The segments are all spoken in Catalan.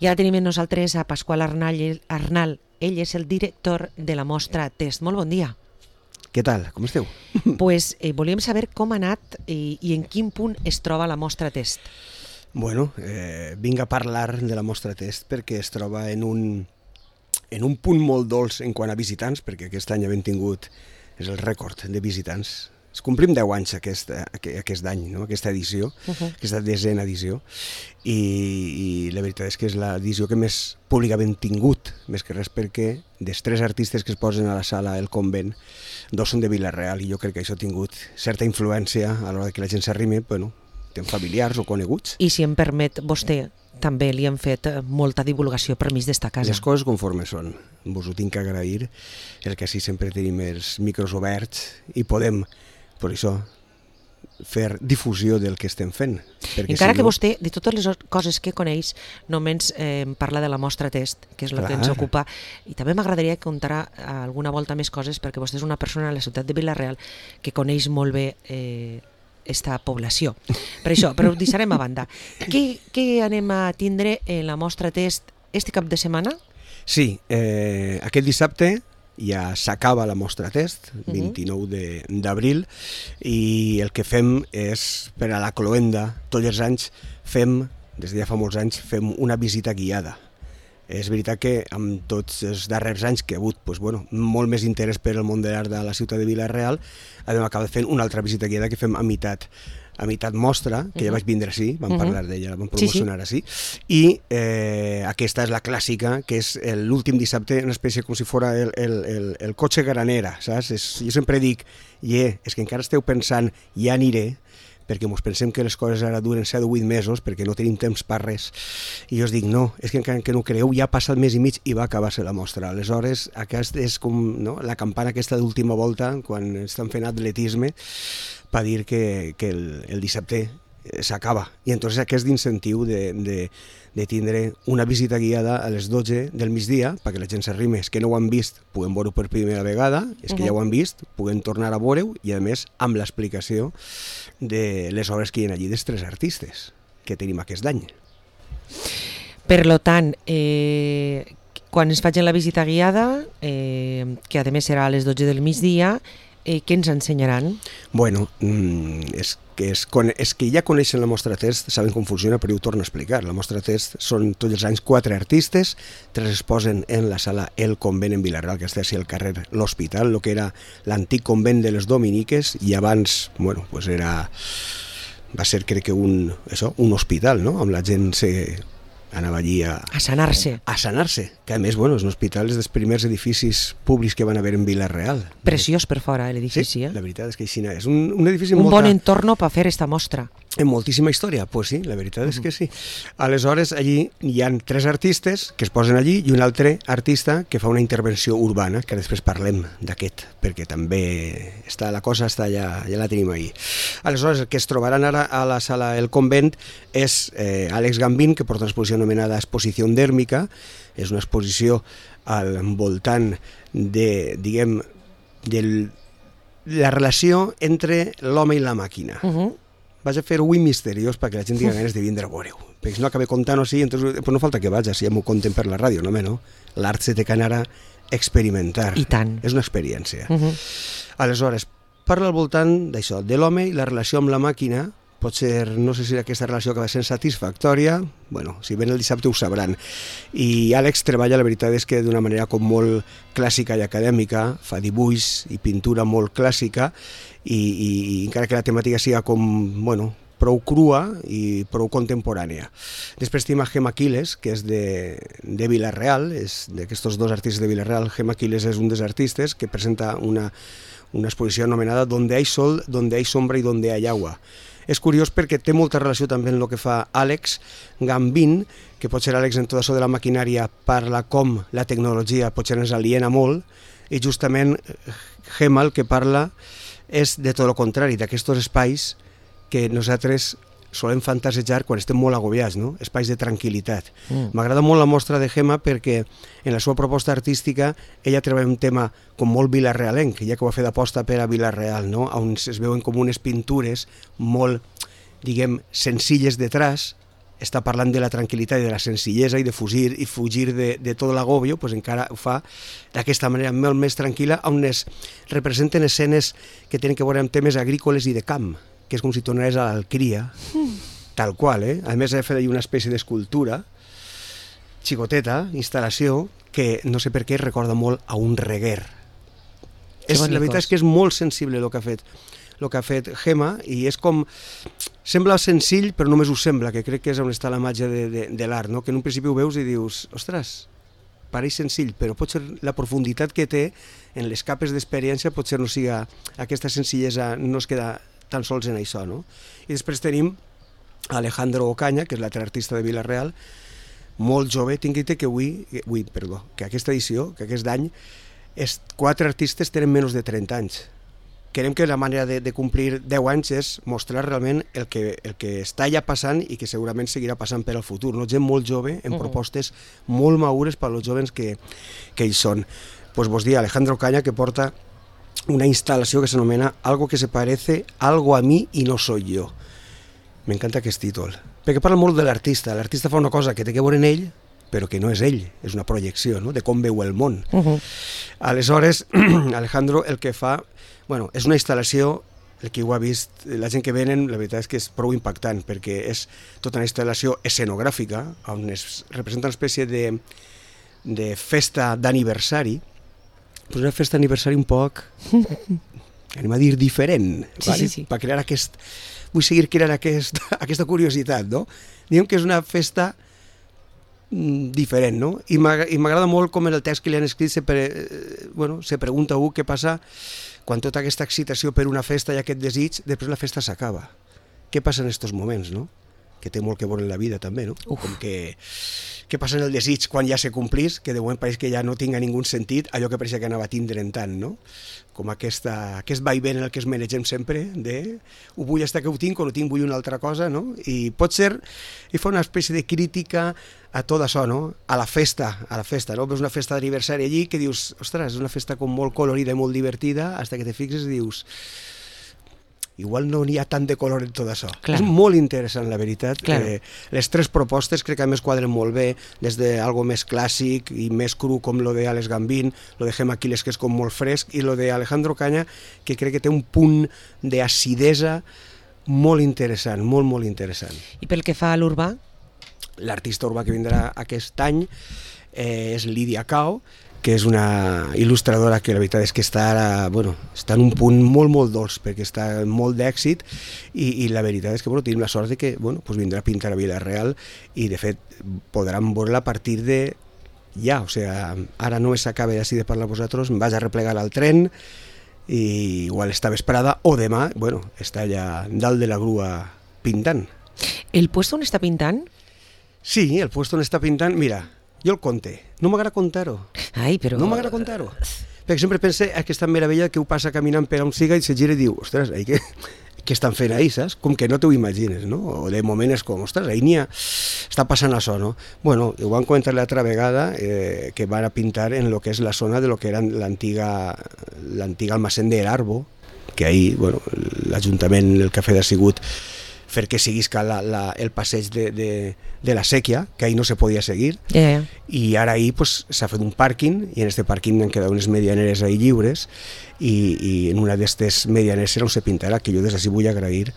I ara tenim amb nosaltres a Pasqual Arnal. Ell és el director de la mostra Test. Molt bon dia. Què tal? Com esteu? Pues, volíem saber com ha anat i en quin punt es troba la mostra Test. Bueno, vinc a parlar de la mostra Test perquè es troba en un punt molt dolç en quant a visitants, perquè aquest any hem tingut, és el rècord de visitants. Es complim 10 anys aquest any, no? Aquesta edició, aquesta 10a edició, i la veritat és que és l'edició que més públic hem tingut, més que res perquè dels 3 artistes que es posen a la sala El Convent, 2 són de Vila-real, i jo crec que això ha tingut certa influència a l'hora que la gent s'arrimi, bueno, tenen familiars o coneguts. I si em permet, vostè també li han fet molta divulgació per mig d'esta casa. Les coses conforme són. Vos ho tinc que agrair, el que sí sempre tenim els micros oberts i podem, per això, fer difusió del que estem fent. Encara que vostè, de totes les coses que coneix, només parla de la mostra Test, que és el que ens ocupa, i també m'agradaria contar alguna volta més coses, perquè vostè és una persona a la ciutat de Vila-real que coneix molt bé esta població. Per això, però ho deixarem a banda. Què anem a tindre en la mostra Test este cap de setmana? Sí, aquest dissabte ja s'acaba la mostra Test, 29 d'abril, i el que fem és, per a la cloenda, tots els anys fem, des de ja fa molts anys, fem una visita guiada. És veritat que amb tots els darrers anys que ha hagut molt més interès per el món de l'art de la ciutat de Vila-real, hem acabat fent una altra visita guiada que fem a meitat mostra, que ja vaig vindre així, vam parlar d'ella, la vam promocionar així, i aquesta és la clàssica, que és l'últim dissabte, una espècie com si fos el cotxe granera, saps? Jo sempre dic, és que encara esteu pensant, ja aniré, perquè ens pensem que les coses ara duren 7 o 8 mesos, perquè no tenim temps per res. I jo us dic, no, és que encara que no creieu, ja passa el mes i mig i va acabar-se la mostra. Aleshores, aquesta és com la campana aquesta d'última volta, quan estan fent atletisme, per dir que el dissabte s'acaba. I entonces aquest incentiu de tindre una visita guiada a les 12 del migdia, perquè la gent s'arrimi, els que no ho han vist puguen veure-ho per primera vegada, els que ja ho han vist puguen tornar a veure-ho, i a més amb l'explicació de les obres que hi ha allí dels 3 artistes que tenim aquest any. Per tant, quan es facin la visita guiada, que a més serà a les 12 del migdia, què ens ensenyaran? Bueno, és que ja coneixen la mostra Test, saben com funciona, però ho torno a explicar. La mostra Test són tots els anys 4 artistes, 3 es posen en la sala El Convent en Vila-real, que està al carrer L'Hospital, el que era l'antic convent de les Dominiques, i abans, va ser crec que un hospital, no? Amb la gent anava allí a sanar-se. A sanar-se, que a més, és un hospital dels primers edificis públics que van haver en Vila-real. Preciós per fora, l'edifici, la veritat és que així és un edifici un bon entorn per fer esta mostra. En moltíssima història, sí, la veritat és que sí. Aleshores, allí hi ha 3 artistes que es posen allí i un altre artista que fa una intervenció urbana, que després parlem d'aquest, perquè també la cosa ja la tenim ahí. Aleshores, el que es trobaran ara a la sala El Convent és Àlex Gambín, que porta una exposició anomenada Exposició Dèrmica. És una exposició al voltant de la relació entre l'home i la màquina. Vaig a fer-ho misteriós perquè la gent tingui ganes de vindre a veure-ho. Perquè si no acabé contant-ho així, no falta que vaig, si ja m'ho conten per la ràdio, no? L'art se té que anar a experimentar. I tant. És una experiència. Aleshores, parla al voltant d'això, de l'home i la relació amb la màquina. Potser, no sé si aquesta relació acaba sent satisfactòria, si ven el dissabte ho sabran. I Àlex treballa, la veritat és que d'una manera com molt clàssica i acadèmica, fa dibuix i pintura molt clàssica, i encara que la temàtica sigui prou crua i prou contemporània. Després tenim a Gemma Quiles, que és de Vila-real, és d'aquests 2 artistes de Vila-real. Gemma Quiles és un dels artistes que presenta una exposició anomenada Donde hay sol, donde hay sombra y donde hay agua. És curiós perquè té molta relació també amb el que fa Àlex Gambín, que potser Àlex en tot això de la maquinària parla com la tecnologia potser ens aliena molt, i justament Gemma el que parla és de tot el contrari, d'aquests espais que nosaltres solem fantasejar quan estem molt agobiats, no? Espais de tranquil·litat. M'agrada molt la mostra de Gemma perquè en la seva proposta artística ella treballa un tema com molt vilarealenc, ja que ho va fer d'aposta per a Vila-real, no? On es veuen com unes pintures molt, senzilles de traç, està parlant de la tranquil·litat i de la senzillesa i de fugir de tot l'agobio, pues encara ho fa d'aquesta manera molt més tranquil·la, on es representen escenes que tenen que veure amb temes agrícoles i de camp, que és com si tornares a l'Alcria, tal qual, eh? A més, he fet una espècie d'escultura, xicoteta, instal·lació, que no sé per què recorda molt a un reguer. La veritat és que és molt sensible el que ha fet Gemma, i és com... Sembla senzill, però només ho sembla, que crec que és on està la màgia de l'art, no? Que en un principi ho veus i dius, ostres, pareix senzill, però potser la profunditat que té en les capes d'experiència potser no siga aquesta senzillesa, no es queda tan sols en això, no? I després tenim Alejandro Ocaña, que és l'altre artista de Vila-real, molt jove. Tinc que dir que aquesta edició, que aquest any, 4 artistes tenen menys de 30 anys. Creiem que la manera de complir 10 anys és mostrar realment el que està ja passant i que segurament seguirà passant per al futur. No? Gent molt jove, en propostes molt madures per als joves que ells són. Pues vos dir, Alejandro Ocaña, que porta una instal·lació que s'anomena Algo que se parece algo a mí y no soy yo. M'encanta aquest títol, perquè parla molt de l'artista. L'artista fa una cosa que té que veure en ell, però que no és ell, és una projecció, no?, de com veu el món. Aleshores, Alejandro el que fa, és una instal·lació, el que ho ha vist, la gent que venen, la veritat és que és prou impactant, perquè és tota una instal·lació escenogràfica, on es representa una espècie de festa d'aniversari, però una festa d'aniversari un poc, anem a dir, diferent, sí. Per crear vull seguir creant aquesta curiositat, no? Diguem que és una festa diferent, no? I m'agrada molt com en el text que li han escrit se pregunta què passa quan tota aquesta excitació per una festa i aquest desig, després la festa s'acaba. Què passa en aquests moments, no? Que té molt que veure en la vida també, no? Com que què passa en el desig quan ja se complís, que de moment pareix que ja no tinga ningú sentit allò que pareixia que anava tindre'n tant, no? Com aquest vaivent en el que es manegem sempre, ho vull estar que ho tinc o no tinc, vull una altra cosa, no? I pot ser, i fa una espècie de crítica a tot això, no? A la festa, no? Veus una festa d'aniversari allí que dius, ostres, és una festa com molt colorida i molt divertida, fins que te fixes i dius, igual no n'hi ha tant de color en tot això. Clar. És molt interessant, la veritat. Les 3 propostes crec que a més quadren molt bé, des d'algo més clàssic i més cru com lo de Alex Gambín, lo de Gemma Aquiles, que és com molt fresc, i lo de Alejandro Ocaña, que crec que té un punt d'acidesa molt interessant, molt, molt interessant. I pel que fa a l'urbà? L'artista urbà que vindrà aquest any és Lídia Cao, que és una il·lustradora que la veritat és que està en un punt molt, molt dolç, perquè està molt d'èxit, i la veritat és que tenim la sort de que vindrà a pintar a Vila-real, i de fet podran veure-la a partir de ja, o sigui, ara no s'acaba d'ací de parlar a vosaltres, em vaig a replegar al tren, i igual esta vesprada o demà, està allà dalt de la grua pintant. El puesto on està pintant? Sí, el puesto on està pintant, mira, jo el conte. No m'agrada contar-ho. No m'agrada contar-ho. Perquè sempre pense aquesta meravella que ho passa caminant per on siga i se gira i diu, ostres, què estan fent ahir, saps? Com que no t'ho imagines, no? O de moment és com, ostres, ahir està passant això, no? Ho van comentar l'altra vegada, que van a pintar en lo que és la zona de lo que era l'antiga almacén de l'Arbo, que ahir, l'Ajuntament, el que ha fet ha sigut fer que seguisca el passeig de la sèquia, que ahir no se podia seguir, i ara ahir s'ha fet un pàrquing, i en aquest pàrquing han quedat unes medianeres ahir lliures, i en una d'aquestes medianeres serà on se pintarà, que jo des d'ací vull agrair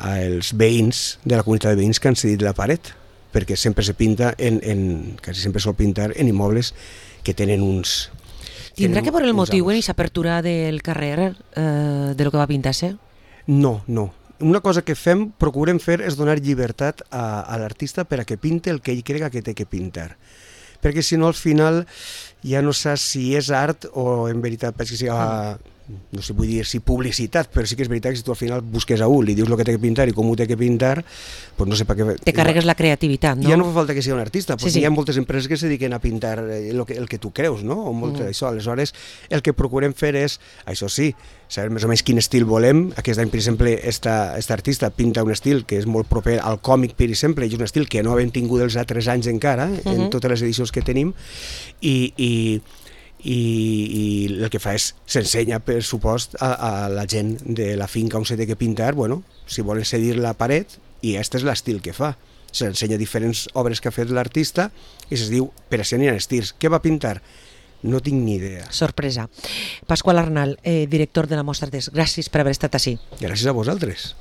als veïns de la comunitat de veïns que han cedit la paret, perquè sempre se pinta, quasi sempre sol pintar en immobles que tenen uns... Tindrà que veure el motiu en aquesta apertura del carrer de lo que va pintar-se? No. Una cosa que procurem fer és donar llibertat a l'artista per a que pinte el que ell crega que té que pintar. Perquè si no, al final ja no saps si és art o en veritat penso que siga, no sé, vull dir si publicitat, però sí que és veritat que si tu al final busques a un, li dius el que té que pintar i com ho té que pintar, doncs no sé per què... Te carregues la creativitat, no? Ja no fa falta que sigui un artista, perquè hi ha moltes empreses que se dediquen a pintar el que tu creus, no? O molt d'això. Aleshores, el que procurem fer és, això sí, saber més o menys quin estil volem. Aquest any, per exemple, esta artista pinta un estil que és molt proper al còmic, per exemple, i és un estil que no hem tingut els altres anys encara, en totes les edicions que tenim, i el que fa és s'ensenya, per supost, a la gent de la finca on se té que pintar, si volen cedir la paret, i aquest és l'estil que fa. S'ensenya diferents obres que ha fet l'artista i es diu Per a ser estirs. Què va pintar? No tinc ni idea. Sorpresa. Pasqual Arnal, director de la Mostra Test, gràcies per haver estat així. Gràcies a vosaltres.